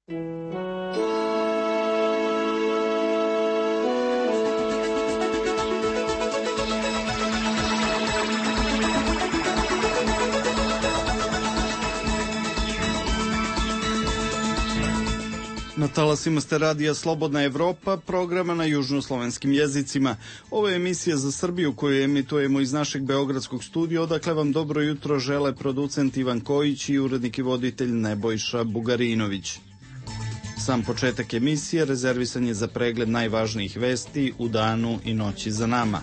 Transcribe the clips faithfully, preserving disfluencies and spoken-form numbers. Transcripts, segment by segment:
Na talasima ste radija Slobodna Evropa, programa na južnoslovenskim jezicima. Ovo je emisija za Srbiju koju emitujemo iz našeg beogradskog studija, odakle vam dobro jutro žele producent Ivan Kojić i urednik i voditelj Nebojša Bugarinović. Sam početak emisije rezervisan je za pregled najvažnijih vesti u danu i noći za nama.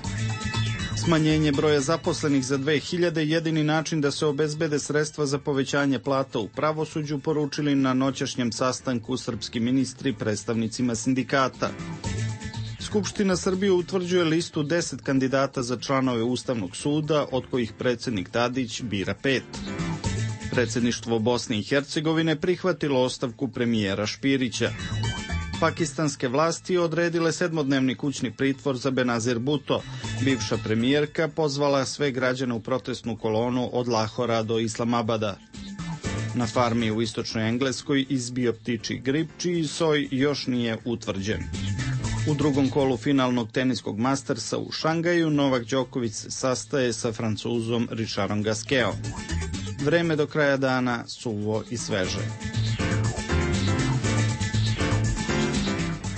Smanjenje broja zaposlenih za dve hiljade jedini način da se obezbede sredstva za povećanje plata u pravosuđu, poručili na noćašnjem sastanku srpski ministri predstavnicima sindikata. Skupština Srbije utvrđuje listu deset kandidata za članove Ustavnog suda, od kojih predsjednik Tadić bira pet. Predsjedništvo Bosne i Hercegovine prihvatilo ostavku premijera Špirića. Pakistanske vlasti odredile sedmodnevni kućni pritvor za Benazir Bhutto. Bivša premijerka pozvala sve građane u protestnu kolonu od Lahora do Islamabada. Na farmi u istočnoj Engleskoj izbio ptičji grip, čiji soj još nije utvrđen. U drugom kolu finalnog teniskog Mastersa u Šangaju Novak Đoković sastaje sa Francuzom Richardom Gasquetom. Vreme do kraja dana suvo i sveže.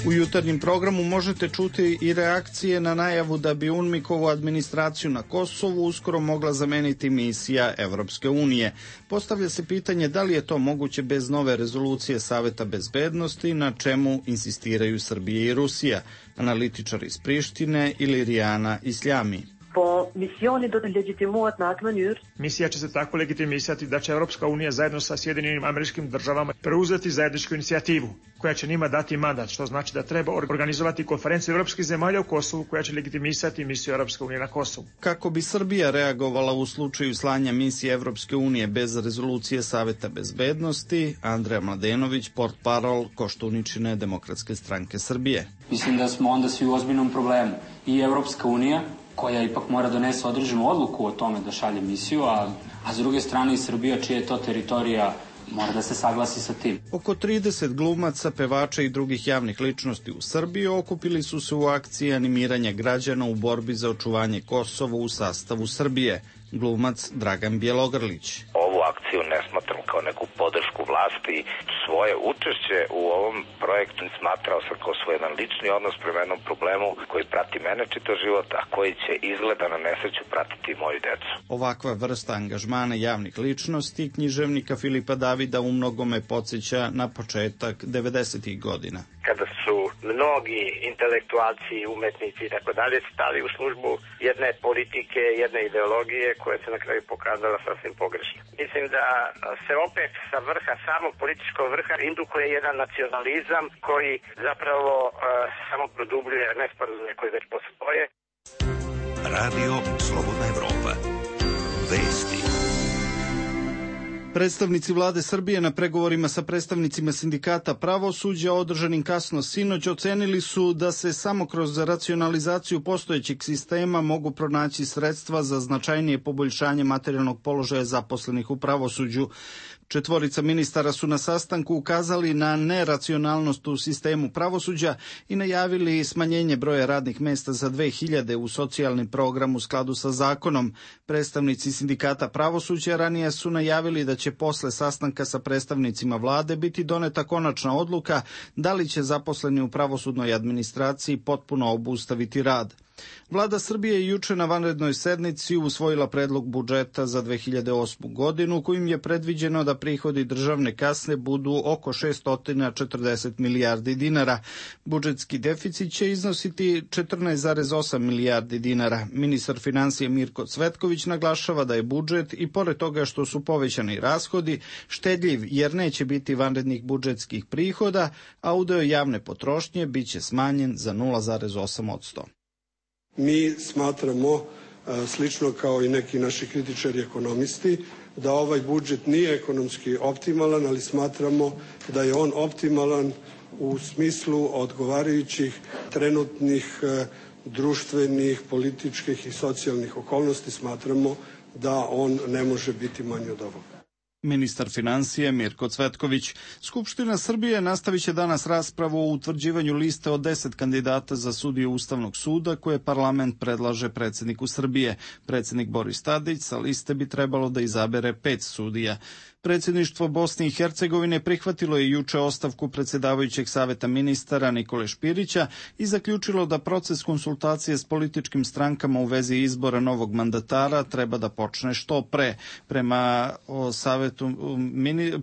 U jutarnjem programu možete čuti i reakcije na najavu da bi UNMIK-ovu administraciju na Kosovu uskoro mogla zameniti misija Evropske unije. Postavlja se pitanje da li je to moguće bez nove rezolucije Saveta bezbednosti, na čemu insistiraju Srbija i Rusija, analitičar iz Prištine Ilirijana Isljami. Misija će se tako legitimisati da će Evropska unija zajedno sa Sjedinjenim Američkim Državama preuzeti zajedničku inicijativu koja će njima dati mandat, što znači da treba organizovati konferenciju evropskih zemalja u Kosovu koja će legitimisati misiju Evropske unije na Kosovu. Kako bi Srbija reagovala u slučaju slanja misije Evropske unije bez rezolucije Saveta bezbednosti, Andreja Mladenović, portparol Koštuničine Demokratske stranke Srbije. Mislim da smo onda svi u ozbiljnom problemu. I Evropska unija, koja ipak mora donese određenu odluku o tome da šalje misiju, a, a s druge strane i Srbija, čija je to teritorija, mora da se saglasi sa tim. Oko trideset glumaca, pevača i drugih javnih ličnosti u Srbiji okupili su se u akciji animiranja građana u borbi za očuvanje Kosova u sastavu Srbije. Glumac Dragan Bjelogrlić. Ovu akciju ne smatram kao neku podršku vlasti. Svoje učešće u ovom projektu smatrao sam kao svoj jedan lični odnos prema jednom problemu koji prati mene čitav život, a koji će izgleda na nesreću pratiti i moju decu. Ovakva vrsta angažmana javnih ličnosti književnika Filipa Davida u mnogome podsjeća na početak devedesetih godina. Kada su mnogi intelektualci, umetnici i tako dalje stali u službu jedne politike, jedne ideologije koja se na kraju pokazala sasvim pogrešno. Mislim da se opet sa vrha, samog političkog vrha indukuje jedan nacionalizam koji zapravo uh, samo produbljuje nesporazume koje već postoje. Radio Slobodna Evropa. Vesti. Predstavnici vlade Srbije na pregovorima sa predstavnicima sindikata pravosuđa održanim kasno sinoć ocenili su da se samo kroz racionalizaciju postojećeg sistema mogu pronaći sredstva za značajnije poboljšanje materijalnog položaja zaposlenih u pravosuđu. Četvorica ministara su na sastanku ukazali na neracionalnost u sistemu pravosuđa i najavili smanjenje broja radnih mesta za dve hiljade u socijalni program u skladu sa zakonom. Predstavnici sindikata pravosuđa ranije su najavili da će posle sastanka sa predstavnicima vlade biti doneta konačna odluka da li će zaposleni u pravosudnoj administraciji potpuno obustaviti rad. Vlada Srbije je juče na vanrednoj sednici usvojila predlog budžeta za dve hiljade osmu godinu, kojim je predviđeno da prihodi državne kasne budu oko šesto četrdeset milijardi dinara. Budžetski deficit će iznositi četrnaest zarez osam milijardi dinara. Ministar finansija Mirko Cvetković naglašava da je budžet, i pored toga što su povećani rashodi, štedljiv jer neće biti vanrednih budžetskih prihoda, a udeo javne potrošnje biće smanjen za nula zarez osam posto. Mi smatramo, slično kao i neki naši kritičari ekonomisti, da ovaj budžet nije ekonomski optimalan, ali smatramo da je on optimalan u smislu odgovarajućih trenutnih društvenih, političkih i socijalnih okolnosti. Smatramo da on ne može biti manji od ovoga. Ministar financije Mirko Cvetković. Skupština Srbije nastavit će danas raspravu o utvrđivanju liste od deset kandidata za sudije Ustavnog suda koje parlament predlaže predsjedniku Srbije. Predsjednik Boris Tadić sa liste bi trebalo da izabere pet sudija. Predsjedništvo Bosne i Hercegovine prihvatilo je juče ostavku predsjedavajućeg saveta ministara Nikole Špirića i zaključilo da proces konsultacije s političkim strankama u vezi izbora novog mandatara treba da počne što pre. Prema, o savetu,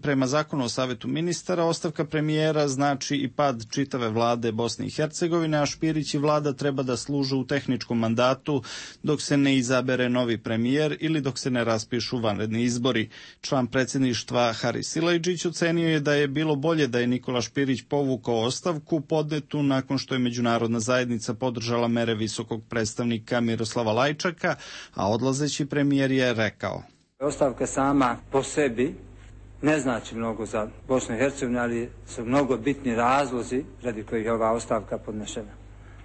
prema zakonu o savetu ministara, ostavka premijera znači i pad čitave vlade Bosne i Hercegovine, a Špirić i vlada treba da služe u tehničkom mandatu dok se ne izabere novi premijer ili dok se ne raspišu vanredni izbori. Član predsjedništva Haris Silajdžić ocenio je da je bilo bolje da je Nikola Špirić povukao ostavku podnetu nakon što je međunarodna zajednica podržala mere visokog predstavnika Miroslava Lajčaka, a odlazeći premijer je rekao: Ostavka sama po sebi ne znači mnogo za Bosnu i Hercegovinu, ali su mnogo bitni razlozi radi kojih je ova ostavka podnešena.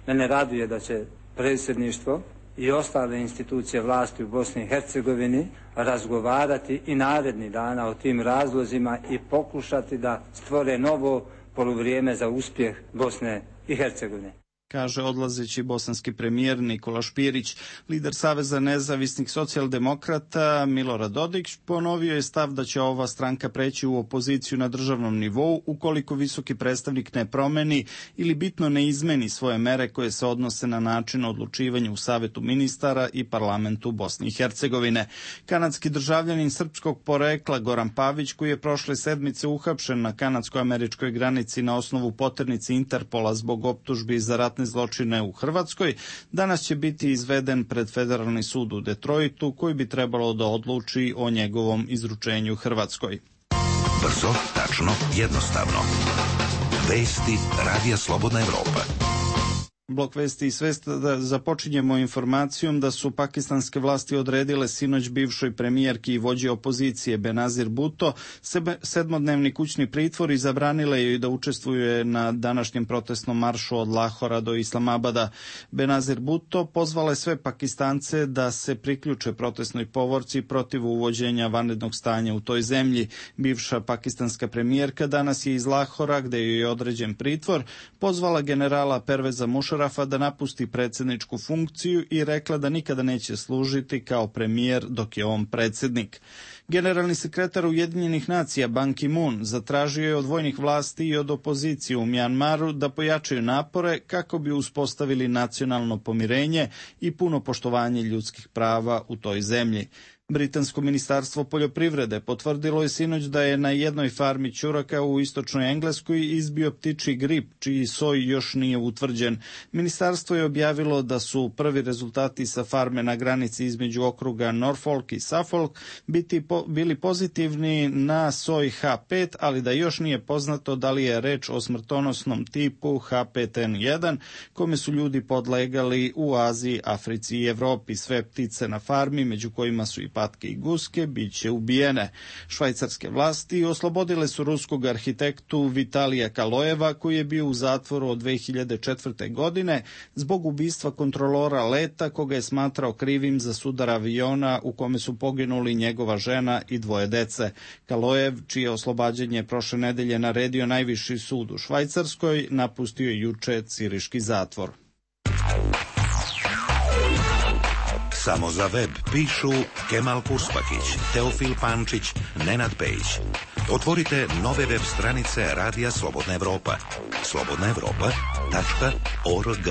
Mene raduje da će predsjedništvo i ostale institucije vlasti u Bosni i Hercegovini razgovarati i narednih dana o tim razlozima i pokušati da stvore novo poluvrijeme za uspjeh Bosne i Hercegovine, kaže odlazeći bosanski premijer Nikola Špirić. Lider Saveza nezavisnih socijaldemokrata Milorad Dodik ponovio je stav da će ova stranka preći u opoziciju na državnom nivou ukoliko visoki predstavnik ne promeni ili bitno ne izmeni svoje mere koje se odnose na način odlučivanja u Savetu ministara i parlamentu Bosne i Hercegovine. Kanadski državljanin srpskog porekla Goran Pavić, koji je prošle sedmice uhapšen na kanadsko-američkoj granici na osnovu poternice Interpola zbog optužbi za rat zločine u Hrvatskoj, danas će biti izveden pred Federalni sud u Detroitu, koji bi trebalo da odluči o njegovom izručenju Hrvatskoj. Brzo, tačno, jednostavno. Vesti Radija Slobodna Evropa. Blok vesti i svest da započinjemo informacijom da su pakistanske vlasti odredile sinoć bivšoj premijerki i vođi opozicije Benazir Bhutto sedmodnevni kućni pritvor i zabranile joj da učestvuje na današnjem protestnom maršu od Lahora do Islamabada. Benazir Bhutto pozvala sve Pakistance da se priključe protestnoj povorci protiv uvođenja vanrednog stanja u toj zemlji. Bivša pakistanska premijerka danas je iz Lahora, gde joj je određen pritvor, pozvala generala Perveza Mušarafa da napusti predsjedničku funkciju i rekla da nikada neće služiti kao premijer dok je on predsjednik. Generalni sekretar Ujedinjenih nacija Ban Ki-moon zatražio je od vojnih vlasti i od opozicije u Mjanmaru da pojačaju napore kako bi uspostavili nacionalno pomirenje i puno poštovanje ljudskih prava u toj zemlji. Britansko ministarstvo poljoprivrede potvrdilo je sinoć da je na jednoj farmi ćuraka u istočnoj Engleskoj izbio ptičji grip, čiji soj još nije utvrđen. Ministarstvo je objavilo da su prvi rezultati sa farme na granici između okruga Norfolk i Suffolk biti po, bili pozitivni na soj H pet, ali da još nije poznato da li je reč o smrtonosnom tipu H pet N jedan, kome su ljudi podlegali u Aziji, Africi i Evropi. Sve ptice na farmi, među kojima su i patke i guske, bit će ubijene. Švajcarske vlasti oslobodile su ruskog arhitektu Vitalija Kalojeva, koji je bio u zatvoru od dve hiljade četvrte. godine zbog ubistva kontrolora leta, koga je smatrao krivim za sudar aviona u kome su poginuli njegova žena i dvoje dece. Kalojev, čije oslobađanje prošle nedelje naredio najviši sud u Švajcarskoj, napustio je juče ciriški zatvor. Samo za web pišu Kemal Kuspakić, Teofil Pančić, Nenad Pejić. Otvorite nove web stranice Radija Slobodna Evropa. slobodna evropa tačka org.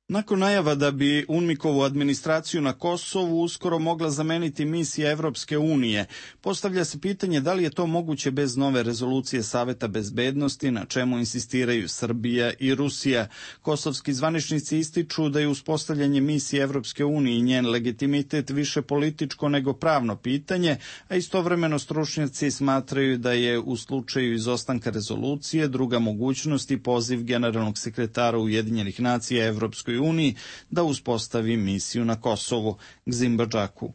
Nakon najava da bi UNMIK-ovu administraciju na Kosovu uskoro mogla zameniti misija Evropske unije, postavlja se pitanje da li je to moguće bez nove rezolucije Saveta bezbednosti, na čemu insistiraju Srbija i Rusija. Kosovski zvaničnici ističu da je uspostavljanje misije Evropske unije i njen legitimitet više političko nego pravno pitanje, a istovremeno stručnjaci smatraju da je u slučaju izostanka rezolucije druga mogućnost i poziv generalnog sekretara Ujedinjenih nacija Evropskoj uniji da uspostavi misiju na Kosovu. Gzim Badžaku.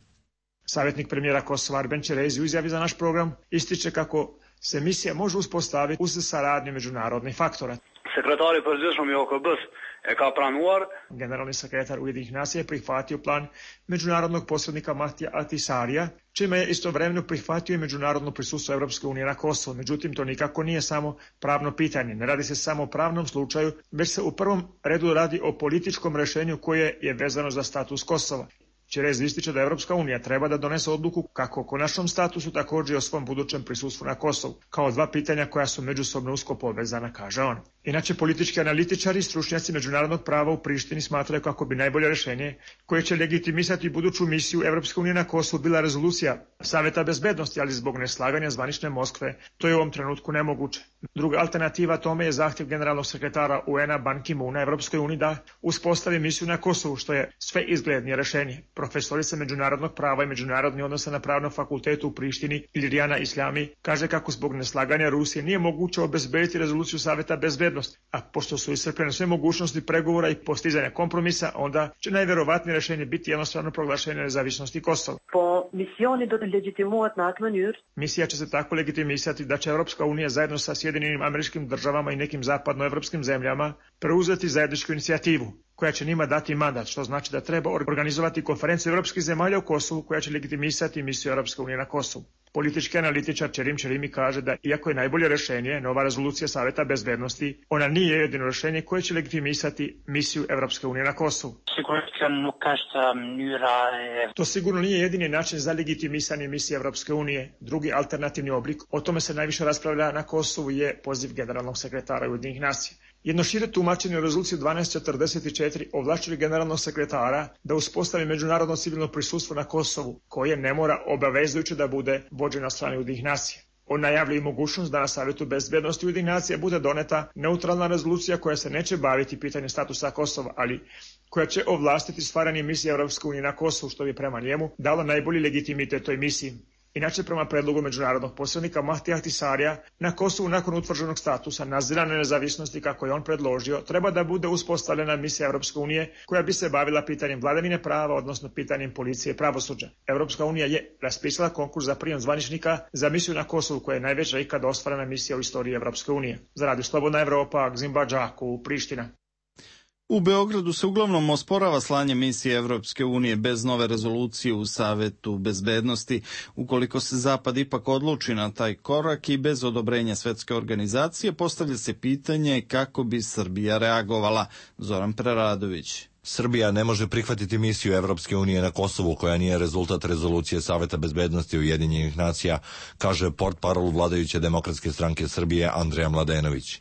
Savjetnik premijera Kosova Arben Čerezi u izjavi za naš program ističe kako se misija može uspostaviti uz saradnju međunarodnih faktora. Sekretari për gjithshëm i O K B-s Generalni sekretar Ujedinjenih nacija je prihvatio plan međunarodnog posrednika Mahtija Ahtisarija, čime je istovremeno prihvatio i međunarodno prisustvo Evropske unije na Kosovu. Međutim, to nikako nije samo pravno pitanje. Ne radi se samo o pravnom slučaju, već se u prvom redu radi o političkom rešenju koje je vezano za status Kosova. Čerez ističe da Evropska unija treba da donese odluku kako o konačnom statusu, također i o svom budućem prisustvu na Kosovu, kao dva pitanja koja su međusobno usko povezana, kaže on. Inače, politički analitičari i stručnjaci međunarodnog prava u Prištini smatraju kako bi najbolje rešenje koje će legitimisati buduću misiju Evropske unije na Kosovu bila rezolucija Saveta bezbednosti, ali zbog neslaganja zvanične Moskve to je u ovom trenutku nemoguće. Druga alternativa tome je zahtjev generalnog sekretara U N-a Ban Ki-moona Evropskoj uniji da uspostavi misiju na Kosovu, što je sve izglednije rešenje. Profesorica međunarodnog prava i međunarodni odnosa na Pravnom fakultetu u Prištini Ilijana Islami kaže kako zbog neslaganja Rusije nije moguće obezbediti rezoluciju Saveta bezbednosti, a pošto su iscrpljene sve mogućnosti pregovora i postizanja kompromisa, onda će najverovatnije rešenje biti jednostavno proglašenje nezavisnosti Kosova. Misija će se tako legitimisati da će Evropska unija zajedno sa Sjedinjenim Američkim Državama i nekim zapadnoevropskim zemljama preuzeti zajedničku inicijativu koja će njima dati mandat, što znači da treba organizovati konferenciju evropskih zemalja u Kosovu koja će legitimisati misiju Evropske unije na Kosovu. Politički analitičar Čerim Čerimi kaže da iako je najbolje rešenje nova rezolucija Saveta bezbednosti, ona nije jedino rešenje koje će legitimisati misiju Evropske unije na Kosovu. To sigurno nije jedini način za legitimisanje misije Evropske unije. Drugi alternativni oblik, o tome se najviše raspravlja na Kosovu, je poziv generalnog sekretara Ujedinjenih nacija. Jedno šire tumačenje u rezoluciji dvanaest četrdeset četiri ovlašćuje generalnog sekretara da uspostavi međunarodno civilno prisustvo na Kosovu, koje ne mora obavezujuće da bude vođeno na strani Ujedinjenih nacija. On najavljuje i mogućnost da na Savjetu bezbednosti Ujedinjenih nacija bude doneta neutralna rezolucija koja se neće baviti pitanjem statusa Kosova, ali koja će ovlastiti stvaranje misije Evropske unije na Kosovu, što bi prema njemu dalo najbolji legitimitet toj misiji. Inače, prema predlogu međunarodnog posrednika Mahtija Ahtisarija, na Kosovu nakon utvrđenog statusa nadzirane nezavisnosti, kako je on predložio, treba da bude uspostavljena misija Evropske unije koja bi se bavila pitanjem vladavine prava, odnosno pitanjem policije i pravosuđa. Evropska unija je raspisala konkurs za prijem zvaničnika za misiju na Kosovu, koja je najveća ikada ostvarena misija u istoriji Evropske unije. Za Radio Slobodna Evropa, Gzimba Džaku, Priština. U Beogradu se uglavnom osporava slanje misije Evropske unije bez nove rezolucije u Savetu bezbednosti, ukoliko se Zapad ipak odluči na taj korak i bez odobrenja svetske organizacije, postavlja se pitanje kako bi Srbija reagovala. Zoran Preradović. Srbija ne može prihvatiti misiju Evropske unije na Kosovu koja nije rezultat rezolucije Saveta bezbednosti Ujedinjenih nacija, kaže portparol vladajuće Demokratske stranke Srbije Andreja Mladenović.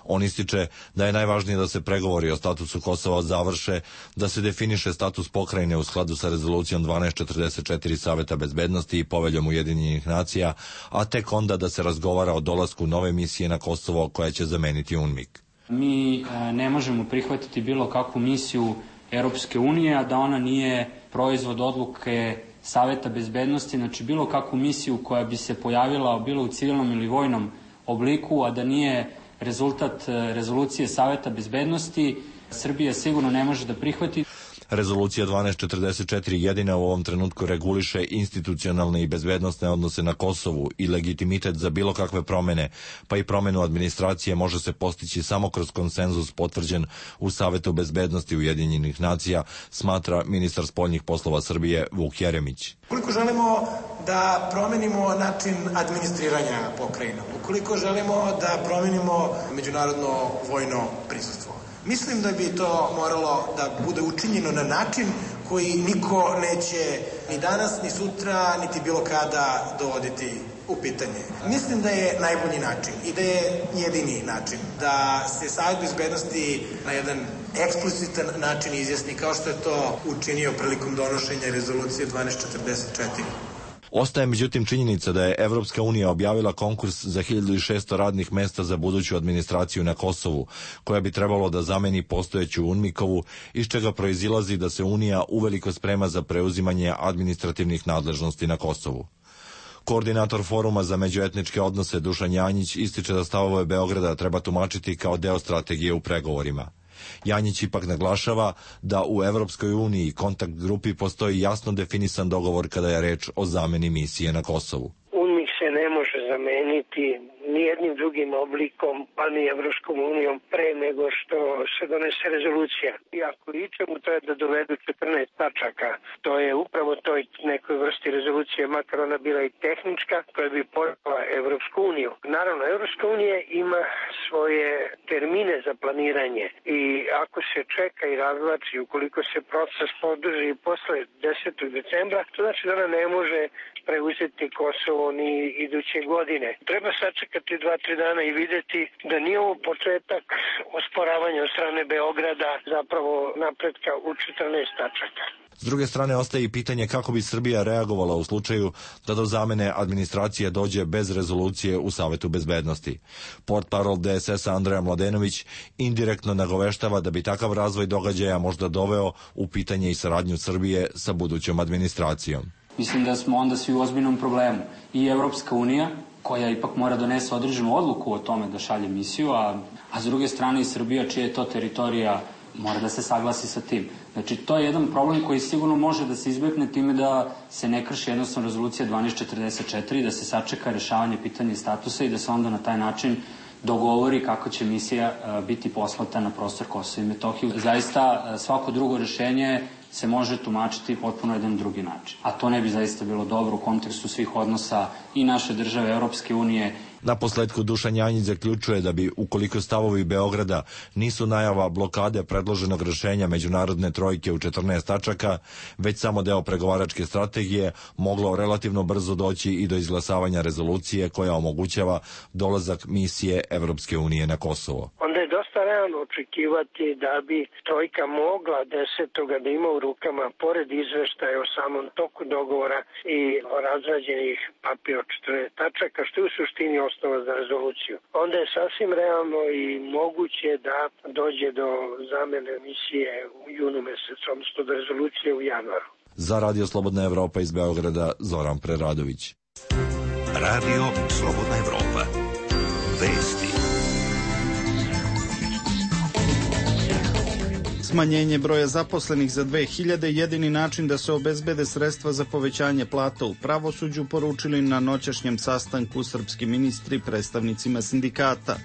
On ističe da je najvažnije da se pregovori o statusu Kosova završe, da se definiše status pokrajine u skladu sa rezolucijom dvanaest četrdeset četiri Saveta bezbednosti i poveljom Ujedinjenih nacija, a tek onda da se razgovara o dolasku nove misije na Kosovo koja će zameniti UNMIK. Mi ne možemo prihvatiti bilo kakvu misiju Europske unije, a da ona nije proizvod odluke Saveta bezbednosti, znači bilo kakvu misiju koja bi se pojavila bilo u civilnom ili vojnom obliku, a da nije rezultat rezolucije Saveta bezbednosti, Srbija sigurno ne može da prihvati. Rezolucija dvanaest četrdeset četiri jedina u ovom trenutku reguliše institucionalne i bezbednosne odnose na Kosovu i legitimitet za bilo kakve promene, pa i promenu administracije može se postići samo kroz konsenzus potvrđen u Savetu bezbednosti Ujedinjenih nacija, smatra ministar spoljnih poslova Srbije Vuk Jeremić. Ukoliko želimo da promenimo način administriranja pokrajina, ukoliko želimo da promenimo međunarodno vojno prisustvo, mislim da bi to moralo da bude učinjeno na način koji niko neće ni danas, ni sutra, niti bilo kada dovoditi u pitanje. Mislim da je najbolji način i da je jedini način da se Savet bezbednosti na jedan eksplicitan način izjasni, kao što je to učinio prilikom donošenja rezolucije dvanaest četrdeset četiri. Ostaje međutim činjenica da je Evropska unija objavila konkurs za hiljadu šesto radnih mesta za buduću administraciju na Kosovu, koja bi trebalo da zameni postojeću UNMIK-ovu, iz čega proizilazi da se Unija uveliko sprema za preuzimanje administrativnih nadležnosti na Kosovu. Koordinator Foruma za međuetničke odnose Dušan Janjić ističe da stavove Beograda treba tumačiti kao deo strategije u pregovorima. Janjić ipak naglašava da u Evropskoj uniji kontakt grupi postoji jasno definisan dogovor kada je reč o zameni misije na Kosovu. UNMIK se ne može zameniti, nije jednim drugim oblikom, pa ni Evropskom unijom, pre nego što se donese rezolucija. I ako ičemu, to je da dovedu četrnaest tačaka. To je upravo toj nekoj vrsti rezolucije, makar ona bila i tehnička, koja bi pojela Evropsku uniju. Naravno, Evropska unija ima svoje termine za planiranje i ako se čeka i razvlači, ukoliko se proces podrži posle desetog decembra, to znači da ona ne može preuzeti Kosovo ni iduće godine. Treba sačekati dva, tri dana i videti da nije ovo početak osporavanja od strane Beograda, zapravo napretka u četrnaest tačaka. S druge strane, ostaje i pitanje kako bi Srbija reagovala u slučaju da do zamene administracije dođe bez rezolucije u Savetu bezbednosti. Portparol D S S-a Andreja Mladenović indirektno nagoveštava da bi takav razvoj događaja možda doveo u pitanje i saradnju Srbije sa budućom administracijom. Mislim da smo onda svi u ozbiljnom problemu. I Evropska unija, koja ipak mora donese određenu odluku o tome da šalje misiju, a, a s druge strane i Srbija, čija je to teritorija, mora da se saglasi sa tim. Znači, to je jedan problem koji sigurno može da se izbegne time da se ne krši jednostavno rezolucija dvanaest četrdeset četiri, da se sačeka rešavanje pitanja statusa i da se onda na taj način dogovori kako će misija uh, biti poslata na prostor Kosova i Metohije. Zaista, uh, svako drugo rešenje se može tumačiti potpuno jedan drugi način. A to ne bi zaista bilo dobro u kontekstu svih odnosa i naše države, Europske unije. Na posledku Dušan Janjić zaključuje da bi, ukoliko stavovi Beograda nisu najava blokade predloženog rešenja međunarodne trojke u četrnaest tačaka, već samo deo pregovaračke strategije, moglo relativno brzo doći i do izglasavanja rezolucije koja omogućava dolazak misije Evropske unije na Kosovo. Onda je dosta realno očekivati da bi trojka mogla desetoga da ima u rukama, pored izveštaja o samom toku dogovora i o razrađenih papira od četrnaest tačaka, što je u suštini osnova za rezoluciju. Onda je sasvim realno i moguće da dođe do zamene misije u junu mesecu, odnosno do rezolucije u januaru. Za Radio Slobodna Evropa iz Beograda, Zoran Preradović. Radio Slobodna Evropa. Vesti. Smanjenje broja zaposlenih za dve hiljade jedini način da se obezbede sredstva za povećanje plata u pravosuđu, poručili na noćašnjem sastanku srpski ministri predstavnicima sindikata.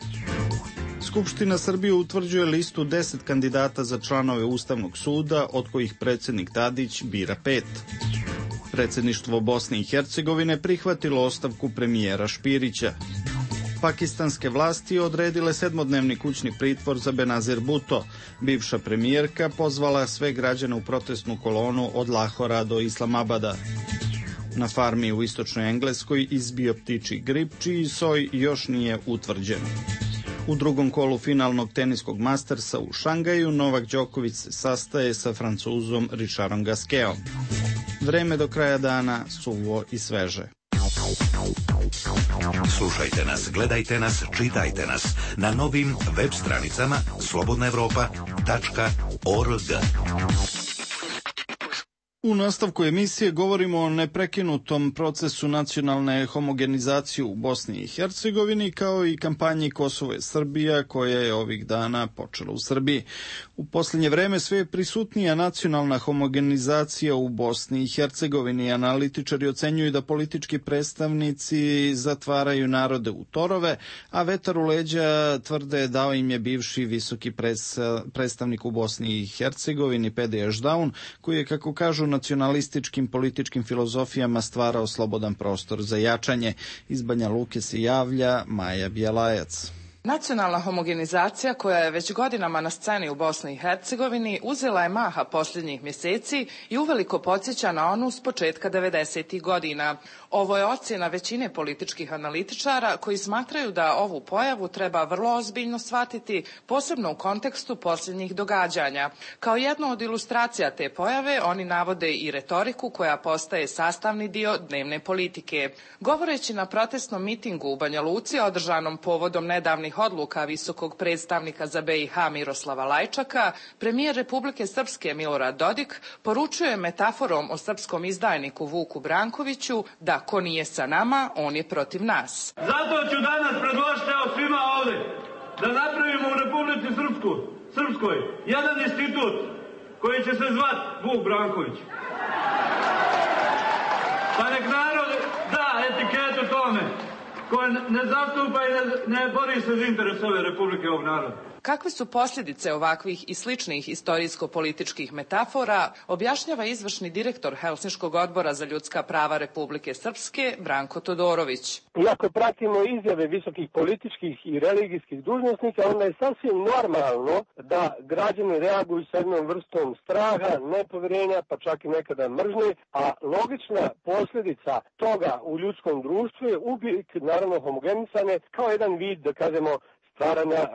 Skupština Srbije utvrđuje listu deset kandidata za članove Ustavnog suda, od kojih predsjednik Tadić bira pet. Predsjedništvo Bosne i Hercegovine prihvatilo ostavku premijera Špirića. Pakistanske vlasti odredile sedmodnevni kućni pritvor za Benazir Bhutto. Bivša premijerka pozvala sve građane u protestnu kolonu od Lahora do Islamabada. Na farmi u istočnoj Engleskoj izbio ptičji grip, čiji soj još nije utvrđen. U drugom kolu finalnog teniskog Mastersa u Šangaju Novak Đoković se sastaje sa Francuzom Richardom Gasquetom. Vreme do kraja dana suvo i sveže. Slušajte nas, gledajte nas, čitajte nas na novim web stranicama slobodna evropa tačka org. U nastavku emisije govorimo o neprekinutom procesu nacionalne homogenizacije u Bosni i Hercegovini, kao i kampanji Kosovo je Srbija, koja je ovih dana počela u Srbiji. U posljednje vreme sve je prisutnija nacionalna homogenizacija u Bosni i Hercegovini. Analitičari ocenjuju da politički predstavnici zatvaraju narode u torove, a vetar u leđa tvrde dao im je bivši visoki predstavnik u Bosni i Hercegovini Pedi Ešdaun, koji je, kako kažu, nacionalističkim političkim filozofijama stvarao slobodan prostor za jačanje. Iz Banja Luke se javlja Maja Bjelajac. Nacionalna homogenizacija, koja je već godinama na sceni u Bosni i Hercegovini, uzela je maha posljednjih mjeseci i uveliko podsjeća na onu s početka devedesetih godina. Ovo je ocjena većine političkih analitičara koji smatraju da ovu pojavu treba vrlo ozbiljno shvatiti, posebno u kontekstu posljednjih događanja. Kao jednu od ilustracija te pojave oni navode i retoriku koja postaje sastavni dio dnevne politike. Govoreći na protestnom mitingu u Banja Luci održanom povodom nedavnih odluka visokog predstavnika za B i H Miroslava Lajčaka, premijer Republike Srpske Milorad Dodik poručuje metaforom o srpskom izdajniku Vuku Brankoviću da ko nije sa nama, on je protiv nas. Zato ću danas predložiti evo svima ovde da napravimo u Republici Srpsku, Srpskoj jedan institut koji će se zvati Vuk Branković. Pa nek narod da etiketu tome. koja ne zastupa i ne, ne bori se za interes ove Republike, ovog naroda. Kakve su posljedice ovakvih i sličnih istorijsko-političkih metafora, objašnjava izvršni direktor Helsinškog odbora za ljudska prava Republike Srpske, Branko Todorović. Iako pratimo izjave visokih političkih i religijskih dužnosnika, onda je sasvim normalno da građani reaguju s jednom vrstom straha, nepoverenja, pa čak i nekada mržnje, a logična posljedica toga u ljudskom društvu je uvijek, naravno, homogenisane kao jedan vid, da kažemo, stvaranja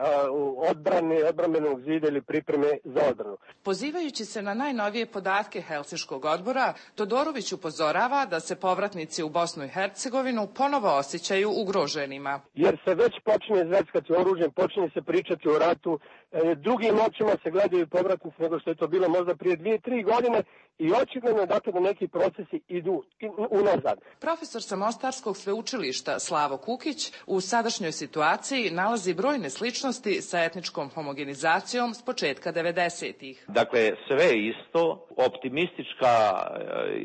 odbrane, odbrambenog zida ili pripreme za odbranu. Pozivajući se na najnovije podatke Helsinškog odbora, Todorović upozorava da se povratnici u Bosnu i Hercegovinu ponovo osjećaju ugroženima. Jer se već počinje zveckati oružjem, počinje se pričati o ratu, drugim očima se gledaju povratnici nego što je to bilo možda prije dvije, tri godine i očigledno je dakle da neki procesi idu unazad. Profesor sa Mostarskog sveučilišta Slavo Kukić u sadašnjoj situaciji nalazi brojne sličnosti sa etničkom homogenizacijom s početka devedesetih. Dakle, sve isto, optimistička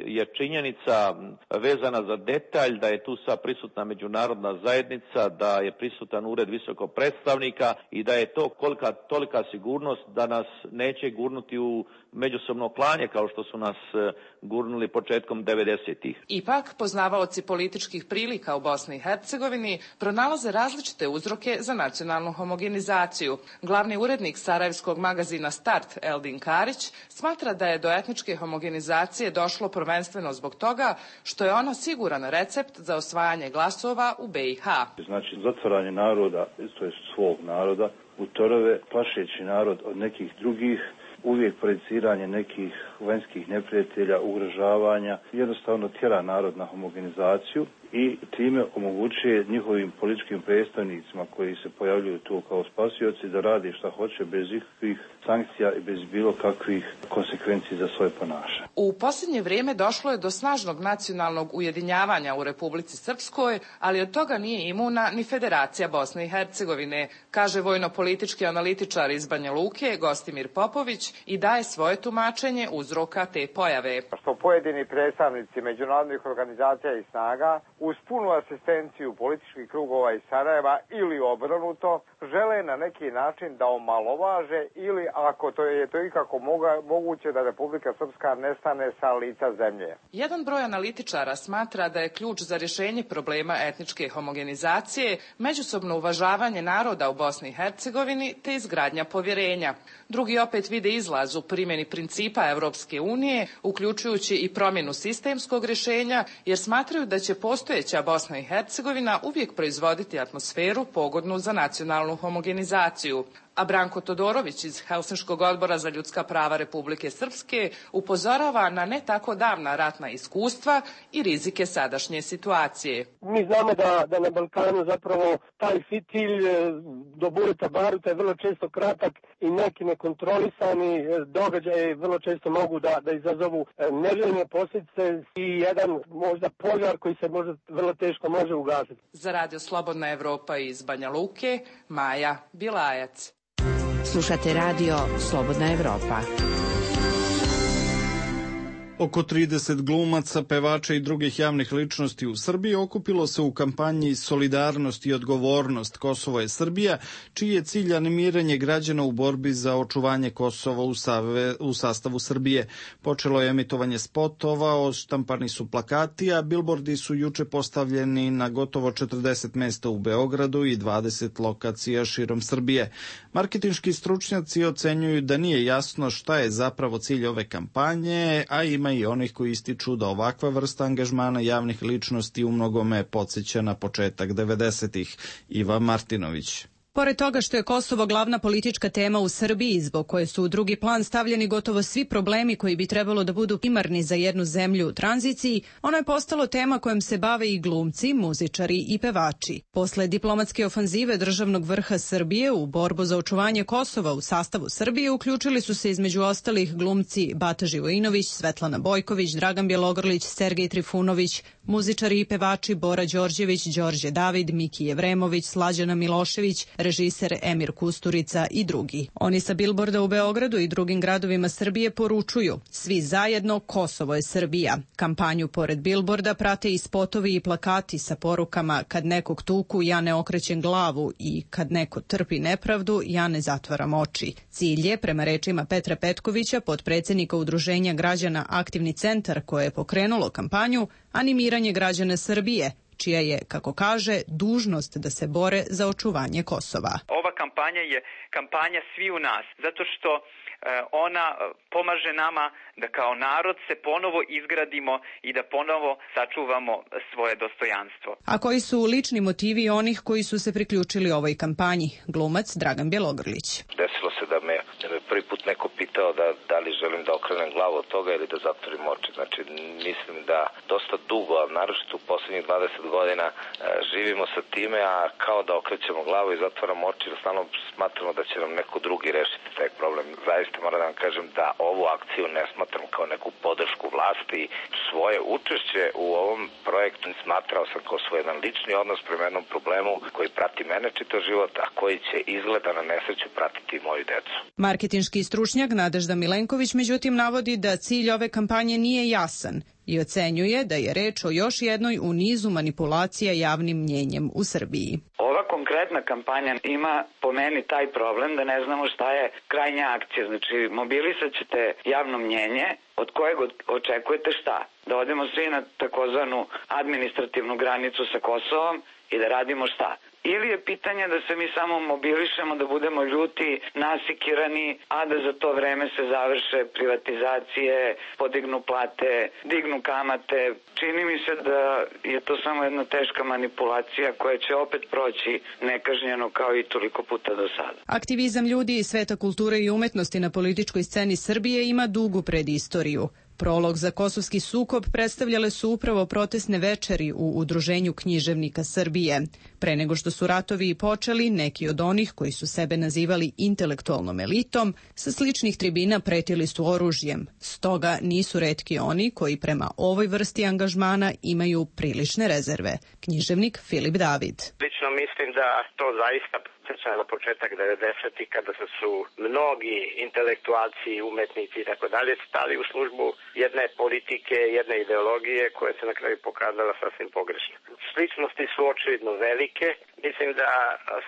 je činjenica vezana za detalj da je tu sa prisutna međunarodna zajednica, da je prisutan ured visokog predstavnika i da je to kolika tolika sigurnost da nas neće gurnuti u međusobno klanje kao što su nas gurnuli početkom devedesetih. Ipak, poznavaoci političkih prilika u Bosni i Hercegovini pronalaze različite uzroke za nacionalnu homogenizaciju. Glavni urednik sarajevskog magazina Start, Eldin Karić, smatra da je do etničke homogenizacije došlo prvenstveno zbog toga što je ono siguran recept za osvajanje glasova u be i ha. Znači, zatvaranje naroda, to je svog naroda, u torove, plašeći narod od nekih drugih, uvijek projeciranje nekih vanjskih neprijatelja, ugrožavanja, jednostavno tjera narod na homogenizaciju i time omogućuje njihovim političkim predstavnicima koji se pojavljuju tu kao spasioci da rade šta hoće bez ikakvih sankcija i bez bilo kakvih konsekvenci za svoje ponašanje. U posljednje vrijeme došlo je do snažnog nacionalnog ujedinjavanja u Republici Srpskoj, ali od toga nije imuna ni Federacija Bosne i Hercegovine, kaže vojno-politički analitičar iz Banja Luke, Gostimir Popović, i daje svoje tumačenje uzroka te pojave. Što pojedini predstavnici međunarodnih organizacija i snaga uz punu asistenciju političkih krugova iz Sarajeva ili obrnuto žele na neki način da omalovaže ili ako to je to ikako moga, moguće da Republika Srpska nestane sa lica zemlje. Jedan broj analitičara smatra da je ključ za rješenje problema etničke homogenizacije međusobno uvažavanje naroda u Bosni i Hercegovini te izgradnja povjerenja. Drugi opet vide izlaz u primjeni principa Evropske unije, uključujući i promjenu sistemskog rješenja, jer smatraju da će postojeća Bosna i Hercegovina uvijek proizvoditi atmosferu pogodnu za nacionalnu homogenizaciju. A Branko Todorović iz Helsinškog odbora za ljudska prava Republike Srpske upozorava na ne tako davna ratna iskustva i rizike sadašnje situacije. Mi znamo da, da na Balkanu zapravo taj fitilj do Bureta Baruta je vrlo često kratak i neki nekontrolisani događaje vrlo često mogu da, da izazovu neželjene posljedice i jedan možda požar koji se možda vrlo teško može ugasiti. Za Radio Slobodna Evropa iz Banja Luke, Maja Bilajac. Slušate Radio Slobodna Evropa. Oko trideset glumaca, pevača i drugih javnih ličnosti u Srbiji okupilo se u kampanji Solidarnost i odgovornost Kosovo je Srbija, čiji je cilj animiranje građana u borbi za očuvanje Kosova u, save, u sastavu Srbije. Počelo je emitovanje spotova, odštampani su plakati, a bilbordi su juče postavljeni na gotovo četrdeset mesta u Beogradu i dvadeset lokacija širom Srbije. Marketinški stručnjaci ocenjuju da nije jasno šta je zapravo cilj ove kampanje, a ima i onih koji ističu da ovakva vrsta angažmana javnih ličnosti u mnogome podsjeća na početak devedesetih. Iva Martinović. Pored toga što je Kosovo glavna politička tema u Srbiji, zbog koje su u drugi plan stavljeni gotovo svi problemi koji bi trebalo da budu primarni za jednu zemlju u tranziciji, ono je postalo tema kojom se bave i glumci, muzičari i pevači. Posle diplomatske ofanzive državnog vrha Srbije u borbu za očuvanje Kosova u sastavu Srbije uključili su se između ostalih glumci Bata Živojinović, Svetlana Bojković, Dragan Bjelogrlić, Sergej Trifunović, muzičari i pevači Bora Đorđević, Đorđe David, Miki Jevremović, Slađana Milošević, režiser Emir Kusturica i drugi. Oni sa bilborda u Beogradu i drugim gradovima Srbije poručuju: svi zajedno, Kosovo je Srbija. Kampanju pored bilborda prate i spotovi i plakati sa porukama: kad nekog tuku, ja ne okrećem glavu, i kad neko trpi nepravdu, ja ne zatvaram oči. Cilj je, prema rečima Petra Petkovića, potpredsjednika Udruženja građana Aktivni centar koje je pokrenulo kampanju, animiranje građana Srbije, čija je, kako kaže, dužnost da se bore za očuvanje Kosova. Ova kampanja je kampanja svi u nas, zato što ona pomaže nama da kao narod se ponovo izgradimo i da ponovo sačuvamo svoje dostojanstvo. A koji su lični motivi onih koji su se priključili ovoj kampanji? Glumac Dragan Bjelogrlić. Desilo se da me prvi put neko pitao da, da li želim da okrenem glavu od toga ili da zatvorim oči. Znači, mislim da dosta dugo, a naročito u poslednjih dvadeset godina, živimo sa time, a kao da okrećemo glavu i zatvaramo oči, jer stalno smatramo da će nam neko drugi rešiti taj problem. Zaista moram da vam kažem da ovu akciju ne smatram kao neku podršku vlasti. Svoje učešće u ovom projektu smatrao sam kao svoj jedan lični odnos prema jednom problemu koji prati mene čitav život, a koji će izgleda na nesreću pratiti i moju decu. Marketinški stručnjak Nadežda Milenković međutim navodi da cilj ove kampanje nije jasan i ocenjuje da je reč o još jednoj u nizu manipulacija javnim mnjenjem u Srbiji. Ova konkretna kampanja ima po meni taj problem da ne znamo šta je krajnja akcija. Znači, mobilisat ćete javno mnjenje od kojeg očekujete šta? Da odemo svi na takozvanu administrativnu granicu sa Kosovom i da radimo šta? Ili je pitanje da se mi samo mobilišemo, da budemo ljuti, nasikirani, a da za to vreme se završe privatizacije, podignu plate, dignu kamate. Čini mi se da je to samo jedna teška manipulacija koja će opet proći nekažnjeno kao i toliko puta do sada. Aktivizam ljudi iz sveta kulture i umetnosti na političkoj sceni Srbije ima dugu predistoriju. Prolog za kosovski sukob predstavljale su upravo protestne večeri u Udruženju književnika Srbije. Pre nego što su ratovi i počeli, neki od onih koji su sebe nazivali intelektualnom elitom, sa sličnih tribina pretili su oružjem. Stoga nisu retki oni koji prema ovoj vrsti angažmana imaju prilične rezerve. Književnik Filip David. Lično mislim da to zaista na početak devedesetih kada su mnogi intelektualci, umetnici i tako dalje stali u službu jedne politike, jedne ideologije koja se na kraju pokazala sasvim pogrešno. Sličnosti su očigledno velike. Mislim da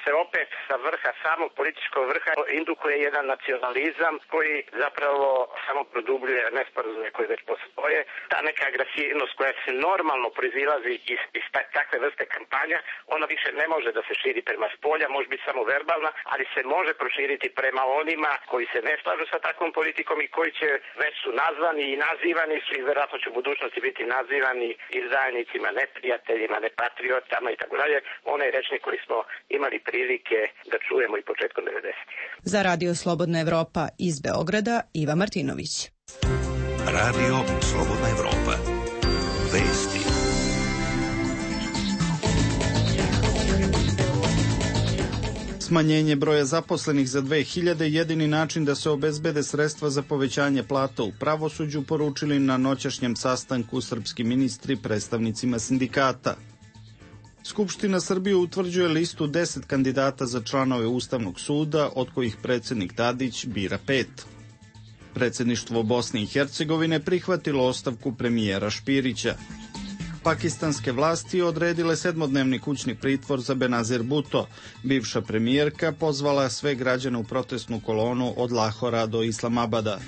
se opet sa vrha, samog političkog vrha, indukuje jedan nacionalizam koji zapravo samo produbljuje nesporazume koje već postoje. Ta neka agresivnost koja se normalno proizilazi iz, iz takve vrste kampanja, ona više ne može da se širi prema spolja, može biti samo verbalna, ali se može proširiti prema onima koji se ne slažu sa takvom politikom i koji će već su nazvani i nazivani su i verovatno će u budućnosti biti nazivani izdajnicima, neprijateljima, nepatriotama i tako dalje. Onaj rečnik koji smo imali prilike da čujemo i početkom devedesetih. Za Radio Slobodna Evropa iz Beograda, Iva Martinović. Radio Slobodna Evropa. Vesti. Smanjenje broja zaposlenih za dve hiljade jedini način da se obezbede sredstva za povećanje plata u pravosuđu, poručili na noćašnjem sastanku srpski ministri predstavnicima sindikata. Skupština Srbije utvrđuje listu deset kandidata za članove Ustavnog suda, od kojih predsjednik Tadić bira pet. Predsjedništvo Bosne i Hercegovine prihvatilo ostavku premijera Špirića. Pakistanske vlasti odredile sedmodnevni kućni pritvor za Benazir Bhutto. Bivša premijerka pozvala sve građane u protestnu kolonu od Lahora do Islamabada.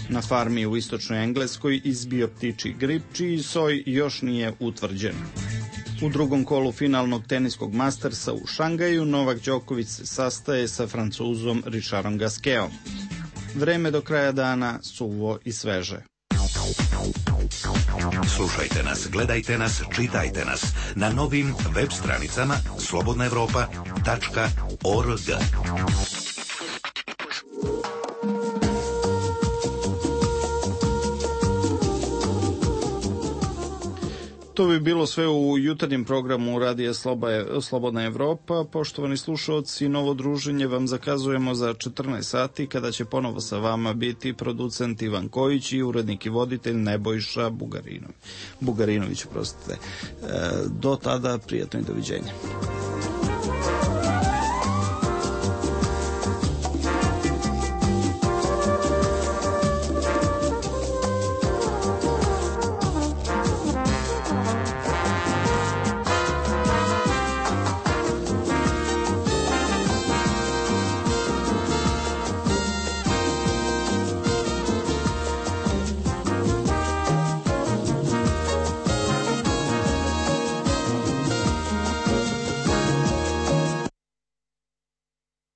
Na farmi u istočnoj Engleskoj izbio ptičji grip, čiji soj još nije utvrđen. U drugom kolu finalnog teniskog Mastersa u Šangaju Novak Đoković se sastaje sa Francuzom Richardom Gasquetom. Vreme do kraja dana suvo i sveže. Slušajte nas, gledajte nas, čitajte nas na novim web stranicama slobodna evropa tačka org. To bi bilo sve u jutarnjem programu Radija Slobodna Evropa. Poštovani slušalci, novo druženje vam zakazujemo za četrnaest sati, kada će ponovo sa vama biti producent Ivan Kojić i urednik i voditelj Nebojša Bugarinović. Bugarinović, prostite. Do tada, prijatno i doviđenja.